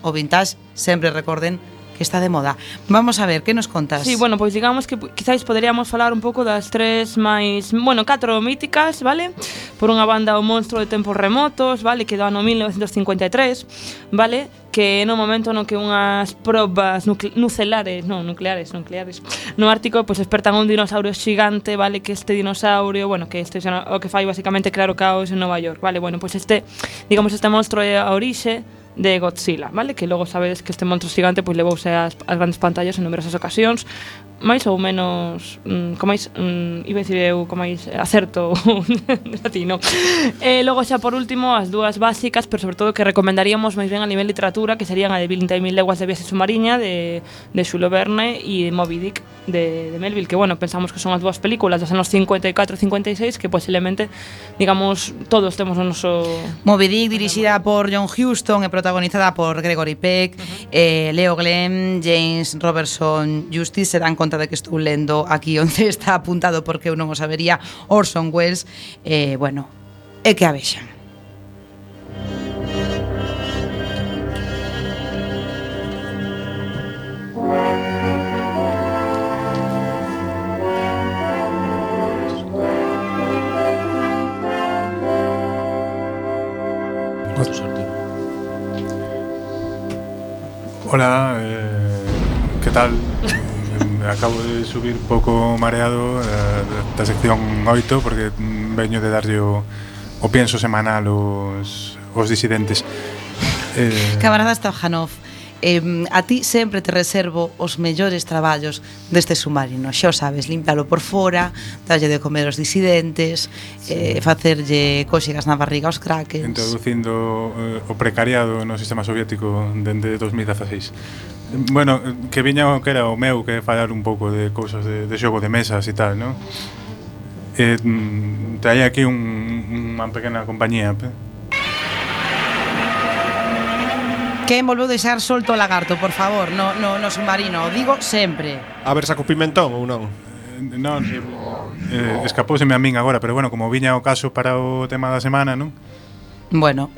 o vintage, sempre recorden que está de moda. Vamos a ver, que nos contas?
Sí, bueno, pois digamos que quizáis poderíamos falar un pouco das tres máis, bueno, 4 míticas, vale? Por unha banda, O monstro de tempos remotos, vale? Que do ano 1953, vale? Que no momento no que unhas probas nucleares no Ártico, pois despertan un dinosaurio xigante, vale? Que este dinosaurio, bueno, que este o que fai basicamente crear o caos en Nova York, vale? Bueno, pois este monstro é a orixe de Godzilla, vale? Que logo sabedes que este monstro xigante pois levouse ás grandes pantallas en numerosas ocasións, máis ou menos con máis iba a dicir eu con máis acerto latino. E logo xa por último as dúas básicas, pero sobre todo que recomendaríamos máis ben a nivel literatura, que serían a de 20.000 leguas de viaxe submarina de Jules Verne e de Moby Dick de Melville, que bueno, pensamos que son as dúas películas dos anos 54-56 que posiblemente, digamos, todos temos o noso...
Moby Dick, dirixida por John Huston e protagonizada por Gregory Peck, Leo Glenn, James Robertson Justice. Se dan conta de que estou lendo aquí onde está apuntado porque eu non o sabería, Orson Welles, bueno, é que a vexan.
Hola, ¿qué tal? Acabo de subir un pouco mareado da sección 8 porque veño de darlle o pienso semanal os disidentes.
Camarada Stojanov, a ti sempre te reservo os mellores traballos deste submarino. Xa o sabes, limpialo por fora, darlle de comer aos disidentes, facerlle cóxegas na barriga aos krakens.
Introducindo o precariado no sistema soviético dende 2016. Bueno, que viña o que era o meu, que falar un pouco de cousas de xogo de mesas e tal, non? Traía aquí unha pequena compañía.
Quen volveu deixar solto o lagarto, por favor, no submarino, o digo sempre.
A ver, saco pimentón ou non?
Non, escapouseme a min agora, pero bueno, como viña o caso para o tema da semana, non?
Bueno,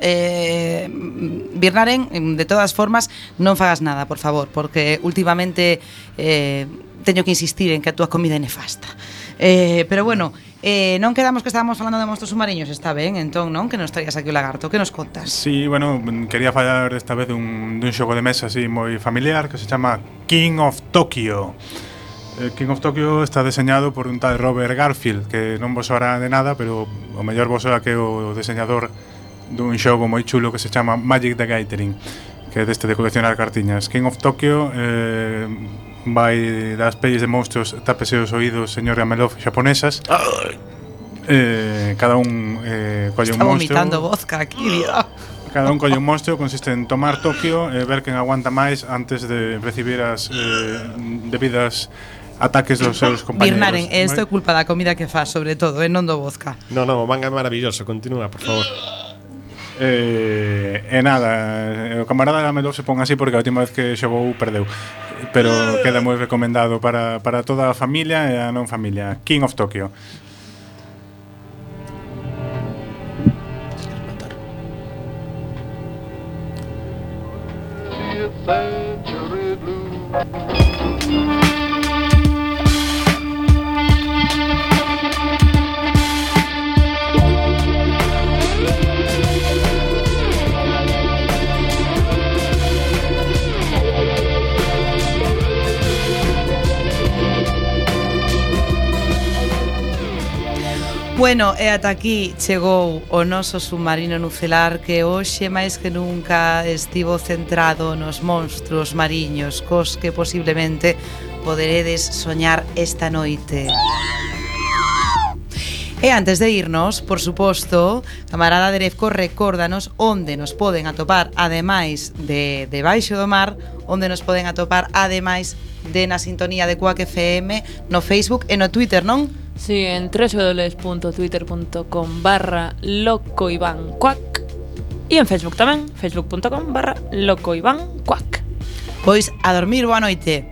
Birnaren, de todas formas, non fagas nada, por favor, porque últimamente teño que insistir en que a túa comida é nefasta. Pero bueno, non quedamos que estábamos falando de monstros submarinos, está ben, entón, non? Que nos traías aquí o lagarto, que nos contas?
Sí, bueno, quería falar esta vez dun xogo de mesa así moi familiar que se chama King of Tokyo. King of Tokyo está deseñado por un tal Robert Garfield, que non vos soará de nada, pero o mellor vos soa que é o deseñador dun xogo moi chulo que se chama Magic the Gathering, que é deste de coleccionar cartiñas. King of Tokyo vai das pelis de monstruos, tápese os oídos, señor Gamelov, xaponesas. Cada un colle un monstro.
Está vomitando vodka aquí, vida.
Cada un colle un monstro, consiste en tomar Tokio e ver quen aguanta máis antes de recibir as debidas ataques dos seus compañeros.
Birnaren, isto é culpa da comida que faz, sobre todo, non do vodka.
Non, o manga é maravilloso, continúa, por favor.
Nada, o camarada Gamelov se pon así porque a última vez que xogou perdeu, pero queda moi recomendado para toda a familia e a non familia. King of Tokyo.
Bueno, e ata aquí chegou o noso submarino nucelar, que hoxe máis que nunca estivo centrado nos monstruos mariños cos que posiblemente poderedes soñar esta noite. E antes de irnos, por suposto, camarada Derezco, recórdanos onde nos poden atopar, ademais de Debaixo do Mar, onde nos poden atopar, ademais de na sintonía de Quack FM, no Facebook e no Twitter, non?
Sí, en www.twitter.com/locoivanquack e en Facebook tamén, facebook.com/locoivanquack.
Pois a dormir, boa noite.